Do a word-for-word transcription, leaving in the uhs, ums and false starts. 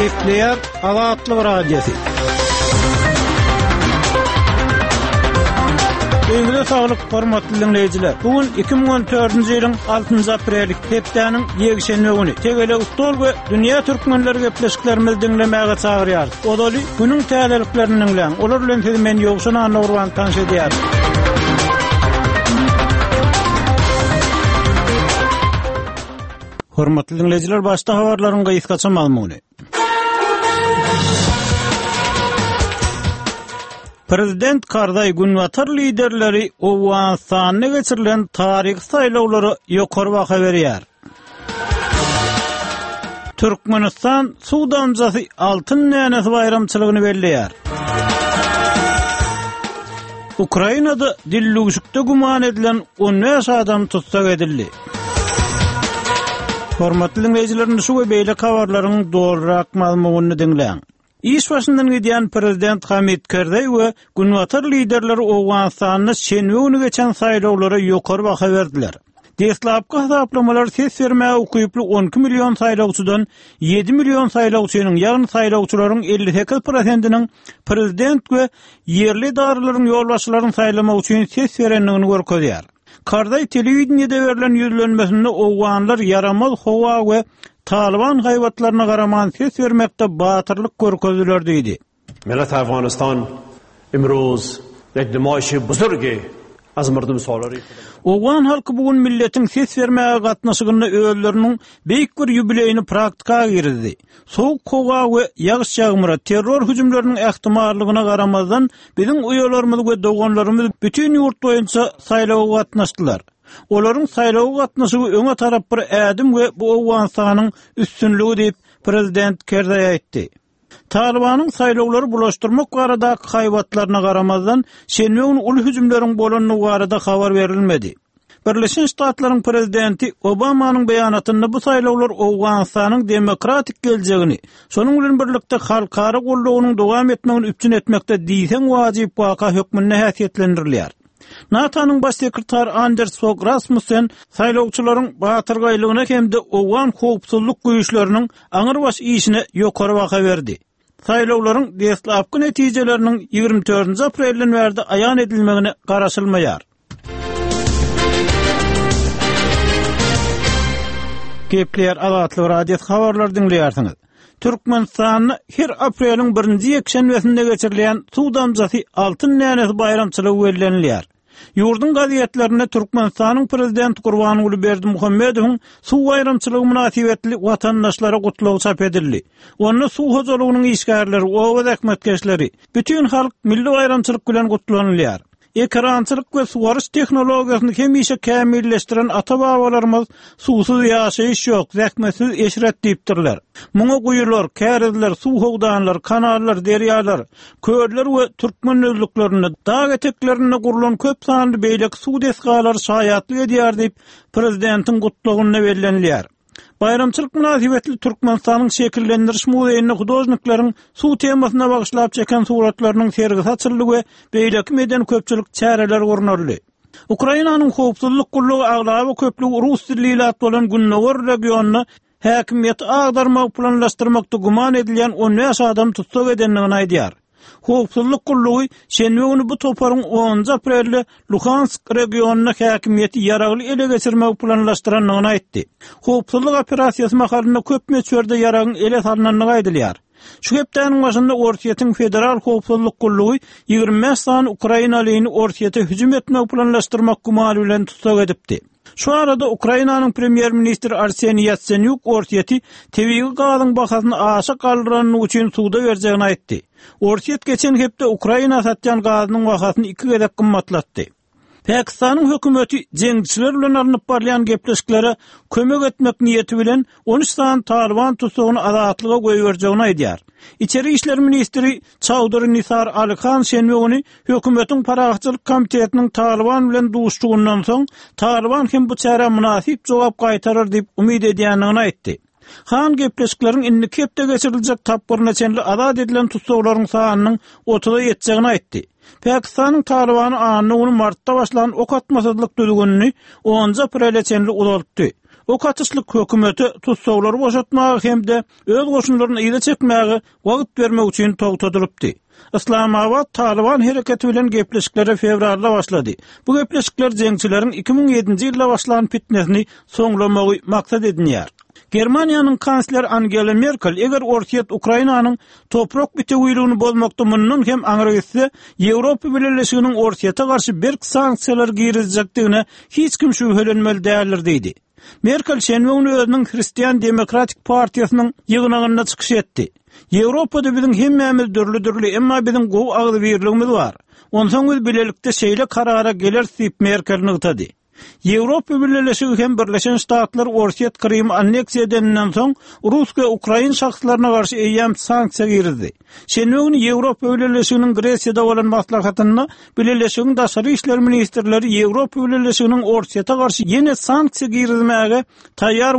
Gepleýär Azatlyk Radiosy. Öňüňize saglyk, hormatly diňleýjiler. Bu gün iki müň on dördünji ýylyň altynjy apreli, hepdäniň ýekşenbe güni. Tegelek stol we dünýä türkmenleri gepleşiklerimizi diňlemäge çagyrýarys. Ozaly günüň täzeliklerini diňläň. Olar bilen sizi men Ýowşan Annagurban tanyş edýärin. Hormatly diňleýjiler, başda habarlaryň gysgaça mazmuny. Prezident Karzaý Günbatar liderleri Owganystanda geçirilen taryhy saýlawlara ýokary baha berýär. Türkmenistan suw damjasy altyn dänesi baýramçylygyny belleýär. Ukrainada dillüwşükde güman edilen on bäş adam tussag edildi. Hormatly diňleýjiler, şu we beýleki habarlaryň dolurak mazmunyny diňläň. Iş başyndan gidýän Prezident Hamid Karzaý we Günbatar liderleri Owganystanda şenbe güni geçen saýlawlara ýokary baha berdiler. Deslapky hasaplamalar ses bermäge ukyply on iki million saýlawçydan ýedi million saýlawçynyň, ýagny saýlawçylaryň elli sekiz prosentiniň prezident we ýerli edaralaryň ýolbaşçylaryny saýlamak üçin ses berendigini görkezýär. Karzaý telewideniýede berlen ýüzlenmesinde Owganlar ýaramaz howa we Taliban haýbatlaryna garaman ses bermekde batyrlyk görkezdiler diýdi. Millet Afganistan imruz ýek nemaýşy buzurgi az murdum solary. Owgan halky bu gün milletiň ses bermäge gatnaşygynda özleriniň beýik bir ýubileýini praktika girizdi. Soğuk howa we ýagyş ýagmyra, terror hüjümleriniň ähtimallygyna garamazdan biziň uýalarymyz we doganlarymyz bütün ýurt boýunça saýlawa gatnaşdylar. Olaryň saýlawa gatnaşygy öňe tarap bir ädim we bu Owganystanyň üstünligi diýip Prezident Karzaý aýtdy. Talibanyň saýlawlary bulaşdyrmak baradaky haýbatlaryna garamazdan şenbe güni uly hüjümleriň bolandygy barada habar berilmedi. Birleşen Ştatlaryň prezidenti Obamanyň beýanatynda bu saýlawlar Owganystanyň demokratik geljegini, şonuň bilen birlikde halkara goldawynyň dowam etmegini üpjün etmekde diýseň wajyp waka hökmünde häsiýetlendirilýär. NATO-nyň baş sekretary Anders Fogh Rasmussen saýlawçylaryň batyrgaýlygyna hem-de Owgan howpsuzlyk güýçleriniň aňyrbaş işine ýokary baha berdi. Saýlawlaryň deslapky netijeleriniň ýigrimi dördünji aprelden bäri aýan edilmegine garaşylmaýar. Gepleýär Azatlyk Radiosy habarlar diňleýärsiňiz. Türkmenistanda her apreliň birinji ýekşenbesinde geçirilýän suw damjasy altyn dänesi baýramçylygy bellenilýär. Ýurduň gazetlerinde Türkmenistanyň prezidenti Gurbanguly Berdimuhamedowyň suw baýramçylygy mynasybetli watandaşlara gutlagy çap edildi. Onda suw hojalygynyň işgärleri, oba zähmetkeşleri, bütün halk milli baýramçylyk bilen gutlanylýar. Ekrançylyk we suwaryş tehnologiýasyny hemişe kämilleşdiren ata-babalarymyz suwsuz ýaşaýyş ýok, zähmetsiz eşret diýipdirler. Muňa guýular, kärizler, suw howdanlar, kanallar, derýalar, köller we türkmen düzlüklerinde, dag eteklerinde gurlan köp sanly beýleki suw desgalary şaýatlyk edýär diýip, prezidentiň gutlagynda bellenilýär. Baýramçylyk mynasybetli Türkmenistanyň şekillendiriş muzeýinde hudožnikleriň suw temasyna bagyşlap çeken suratlarynyň sergisi açyldy we beýleki medeni köpçülik çäreleri gurnaldy. Ukrainanyň howpsuzlyk gullugy aglaba köplügi rus dilli ilat bolan Gündogar regionynda häkimiýeti agdarmagy planlaşdyrmakda güman edilýän on bäş adam tussag edendigini aýdýar. Howpsuzlyk gullugy şenbe güni bu toparyň onunjy aprelde Luhansk regionynda häkimiýeti ýaragly ele geçirmegi planlaşdyrandygyny aýtdy. Howpsuzlyk operasiýasy mahalynda köp möçberde ýaragyň ele salnandygy aýdylýar. Şu hepdäniň başynda Orsýetiň Federal Howpsuzlyk gullugy ýigrimi bäş sany Ukrainalyny Orsýete hüjüm etmegi planlaşdyrmak gümany bilen tussag edipdi. Şu arada Ukrainanyň premýer-ministri Arseniý Ýatsenýuk Orsýeti tebigy gazyň bahasyny aşa galdyranyny üçin suda berjegini aýtdy. Orsýet geçen hepde Ukraina satýan gazynyň bahasyny iki gezek gymmatlatdy. Pakistanyň hökümeti jeňçiler bilen alnyp barylýan gepleşiklere kömek etmek niýeti bilen on üç sany Taliban tutsagyny azatlyga goýberjegini aýdýar. İçeri işler ministri Çawdry Nisar Alihan şenbe güni hökümetiň parahatçylyk komitetiniň Taliban bilen duşuşygyndan soň Taliban hem bu çärä mynasyp jogap gaýtarar diýip umyt edýändigini aýtdy. Han gepleşikleriň indiki hepde geçiriljek tapgyryna çenli azat edilen tussaglaryň sanynyň otuza ýetjegini aýtdy. Pakistanyň Talibany anna güni martda başlan ok atmasyzlyk düzgünini onunjy aprele çenli uzaltdy. Ok atyşlyk hökümete tutsaglary boşatmaga hem-de öz goşunlaryny yza çekmäge wagt bermek üçin togtadylypdy. Yslamabat Talyban hereketi bilen gepleşiklere fewralda başlady. Bu gepleşikler jeňçileriň iki müň ýedinji ýylda başlan pitnesini soňlamagy maksat edinýär. Germaniýanyň kansleri Angela Merkel eger Orsýet Ukrainanyň toprak bitewiligini bozmakda mundan hem aňry gitse, Ýewropa Bileleşiginiň Orsýete garşy berk sanksiýalar girizjekdigine hiç kim şübhelenmeli däldir diýdi. Merkel şenbe güni özüniň Hristian demokratik partiýasynyň ýygnagynda çykyş etdi. Ýewropada biziň hemmämiz dürli-dürli, emma biziň gowy agzybirligimiz bar. Onsoň biz bilelikde şeýle karara geleris diýip Merkel nygtady. Ýewropa Bileleşigi hem Birleşen Ştatlar Orsýet Krymy anneksiýa edeninden soň rus we ukrain şahslaryna garşy eýýäm sanksiýa girizdi. Şenbe güni Ýewropa Bileleşiginiň Gresiýada bolan maslahatynda Bileleşigiň daşary işler ministrleri Ýewropa Bileleşiginiň Orsýete garşy ýene sanksiýa girizmäge taýýar